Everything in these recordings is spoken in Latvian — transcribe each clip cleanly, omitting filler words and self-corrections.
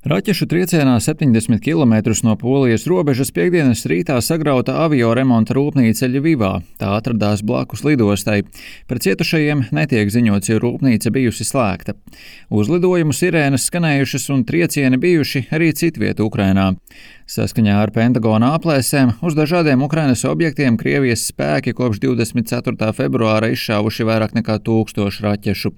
Raķešu triecienā 70 km no Polijas robežas piektdienas rītā sagrauta avioremonta rūpnīca Ļvivā. Tā atradās blakus lidostai. Par cietušajiem netiek ziņots, jo rūpnīca bijusi slēgta. Uzlidojumu sirēnas skanējušas un triecieni bijuši arī citviet Ukrainā. Saskaņā ar Pentagona aplēsēm uz dažādiem Ukrainas objektiem Krievijas spēki kopš 24. februāra izšāvuši vairāk nekā 1000 raķešu.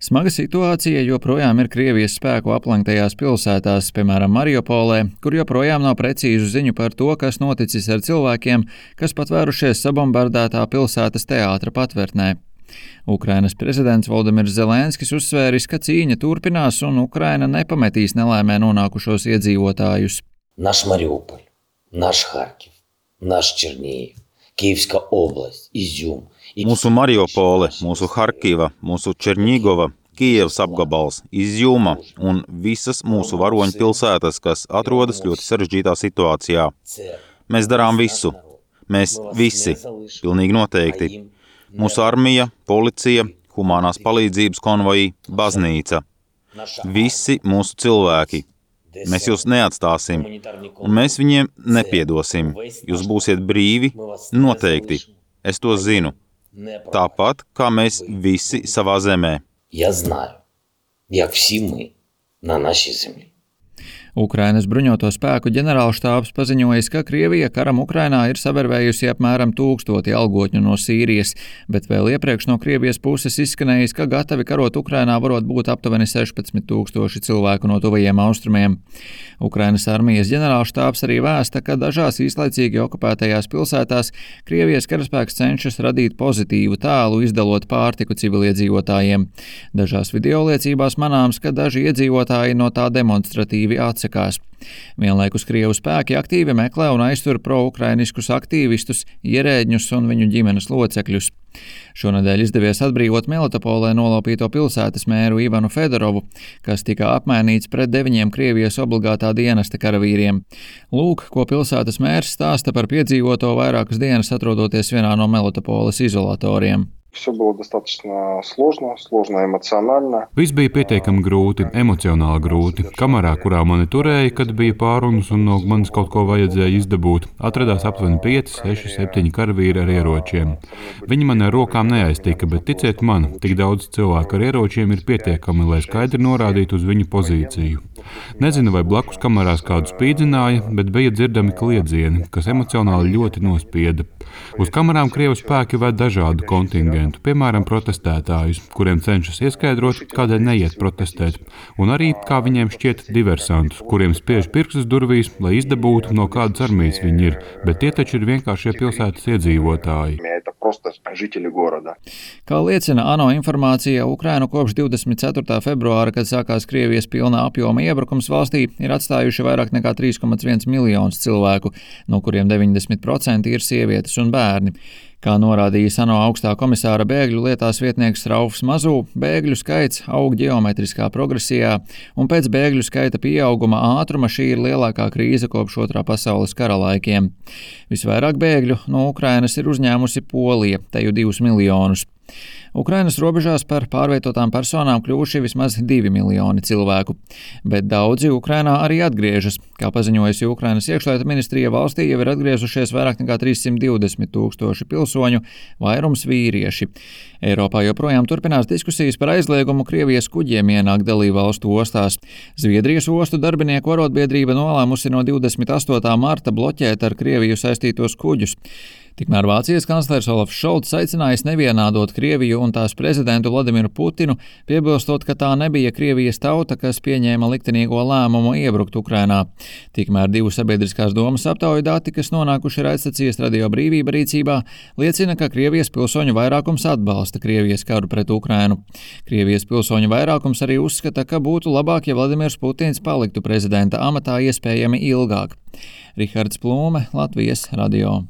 Smaga situācija joprojām ir Krievijas spēku aplenktajās pilsētās, piemēram, Mariupolē, kur joprojām nav precīzu ziņu par to, kas noticis ar cilvēkiem, kas patvērušies sabombardētā pilsētas teātra patvērtnē. Ukrainas prezidents Volodimirs Zelenskis uzsvēris, ka cīņa turpinās un Ukraina nepametīs nelaimē nonākušos iedzīvotājus. Наш Мариуполь, наш Харків, наш Чернігів, Київська область, Ізюм. Mūsu Mariupole, mūsu Harkiva, mūsu Černigova, Kijevas apgabals, Izjuma un visas mūsu varoņu pilsētas, kas atrodas ļoti sarežģītā situācijā. Mēs darām visu. Mēs visi, pilnīgi noteikti. Mūsu armija, policija, humanās palīdzības konvoji, baznīca. Visi mūsu cilvēki. Mēs jūs neatstāsim, un mēs viņiem nepiedosim. Jūs būsiet brīvi, noteikti. Es to zinu. Tāpat, kā mēs visi savā zemē. Я знаю, як всі ми на нашій землі. Ukrainas bruņoto spēku ģenerālštābs paziņojis, ka Krievija karam Ukrainā ir savervējusi apmēram 1000 algotņu no Sīrijas, bet vēl iepriekš no Krievijas puses izskanējis, ka gatavi karot Ukrainā varot būt aptuveni 16 000 cilvēku no tuvajiem austrumiem. Ukrainas armijas ģenerālštābs arī vēsta, ka dažās īslaicīgi okupētajās pilsētās Krievijas karaspēks cenšas radīt pozitīvu tēlu, izdalot pārtiku civiliedzīvotājiem. Dažās videoliecībās manāms, ka daži iedzīvotāji no tā demonstratīvi atsakās. Vienlaikus Krievu spēki aktīvi meklē un aiztur pro-ukrainiskus aktīvistus, ierēģņus un viņu ģimenes locekļus. Šonedēļ izdevies atbrīvot Melitopolē nolaupīto pilsētas mēru Ivanu Fedorovu, kas tika apmainīts pret 9 Krievijas obligātā dienesta karavīriem. Lūk, ko pilsētas mērs stāsta par piedzīvoto vairākas dienas atrodoties vienā no Melitopoles izolatoriem. Все было достаточно сложно эмоционально. Viss bija pietiekami grūti, emocionāli grūti. Kamerā, kurā mani turēja, kad bija pārunas un no manis kaut ko vajadzēja izdabūt, atradās aptuveni 5, 6, 7 karavīri ar ieročiem. Viņi man ar rokām neaiztika, bet ticiet man, tik daudz cilvēku ar ieročiem ir pietiekami, lai skaidri norādītu uz viņu pozīciju. Nezinu, vai blakus kamerās kādu spīdzināja, bet bija dzirdami kliedzieni, kas emocionāli ļoti nospieda. Uz kamerām Krievu spēki ved dažādu kontingentu, piemēram, protestētājus, kuriem cenšas ieskaidrot, kādēļ neiet protestēt, un arī, kā viņiem šķiet, diversantus, kuriem spiež pirkstus durvīs, lai izdabūtu, no kādas armijas viņi ir, bet tie taču ir vienkāršie pilsētas iedzīvotāji. Kā liecina ANO informācija, Ukrainu kopš 24. februāra, kad sākās Krievijas pilna apjoma iebrukums valstī, ir atstājuši vairāk nekā 3,1 miljonus cilvēku, no kuriem 90% ir sievietes un bērni. Kā norādījis ANO augstā komisāra bēgļu lietās vietnieks Raufs Mazū, bēgļu skaits aug ģeometriskā progresijā, un pēc bēgļu skaita pieauguma ātruma šī ir lielākā krīze kopš Otrā pasaules kara laikiem. Visvairāk bēgļu no Ukrainas ir uzņēmusi Polija, teju 2 miljonus. Ukrainas robežās par pārvietotām personām kļuvuši vismaz 2 miljoni cilvēku, bet daudzi Ukrainā arī atgriežas. Kā paziņojusi Ukrainas iekšlietu ministrija, valstī jau ir atgriezušies vairāk nekā 320 000 pilsoņu, vairums vīrieši. Eiropā joprojām turpinās diskusijas par aizliegumu Krievijas kuģiem ienākt dalībvalstu ostās. Zviedrijas ostu darbinieku arotbiedrība nolēmusi no 28. marta bloķēt ar Krieviju saistītos kuģus. Tikmēr Vācijas kanclers Olafs Šolts aicinājis nevienādot Krieviju un tās prezidentu Vladimiru Putinu, piebilstot, ka tā nebija Krievijas tauta, kas pieņēma liktenīgo lēmumu iebrukt Ukrainā. Tikmēr 2 sabiedriskās domas aptauju dati, kas nonākuši raidstacijas Radio Brīvība rīcībā, liecina, ka Krievijas pilsoņu vairākums atbalsta Krievijas karu pret Ukrainu. Krievijas pilsoņu vairākums arī uzskata, ka būtu labāk, ja Vladimirs Putins paliktu prezidenta amatā iespējami ilgāk. Rihards Plūme, Latvijas radio.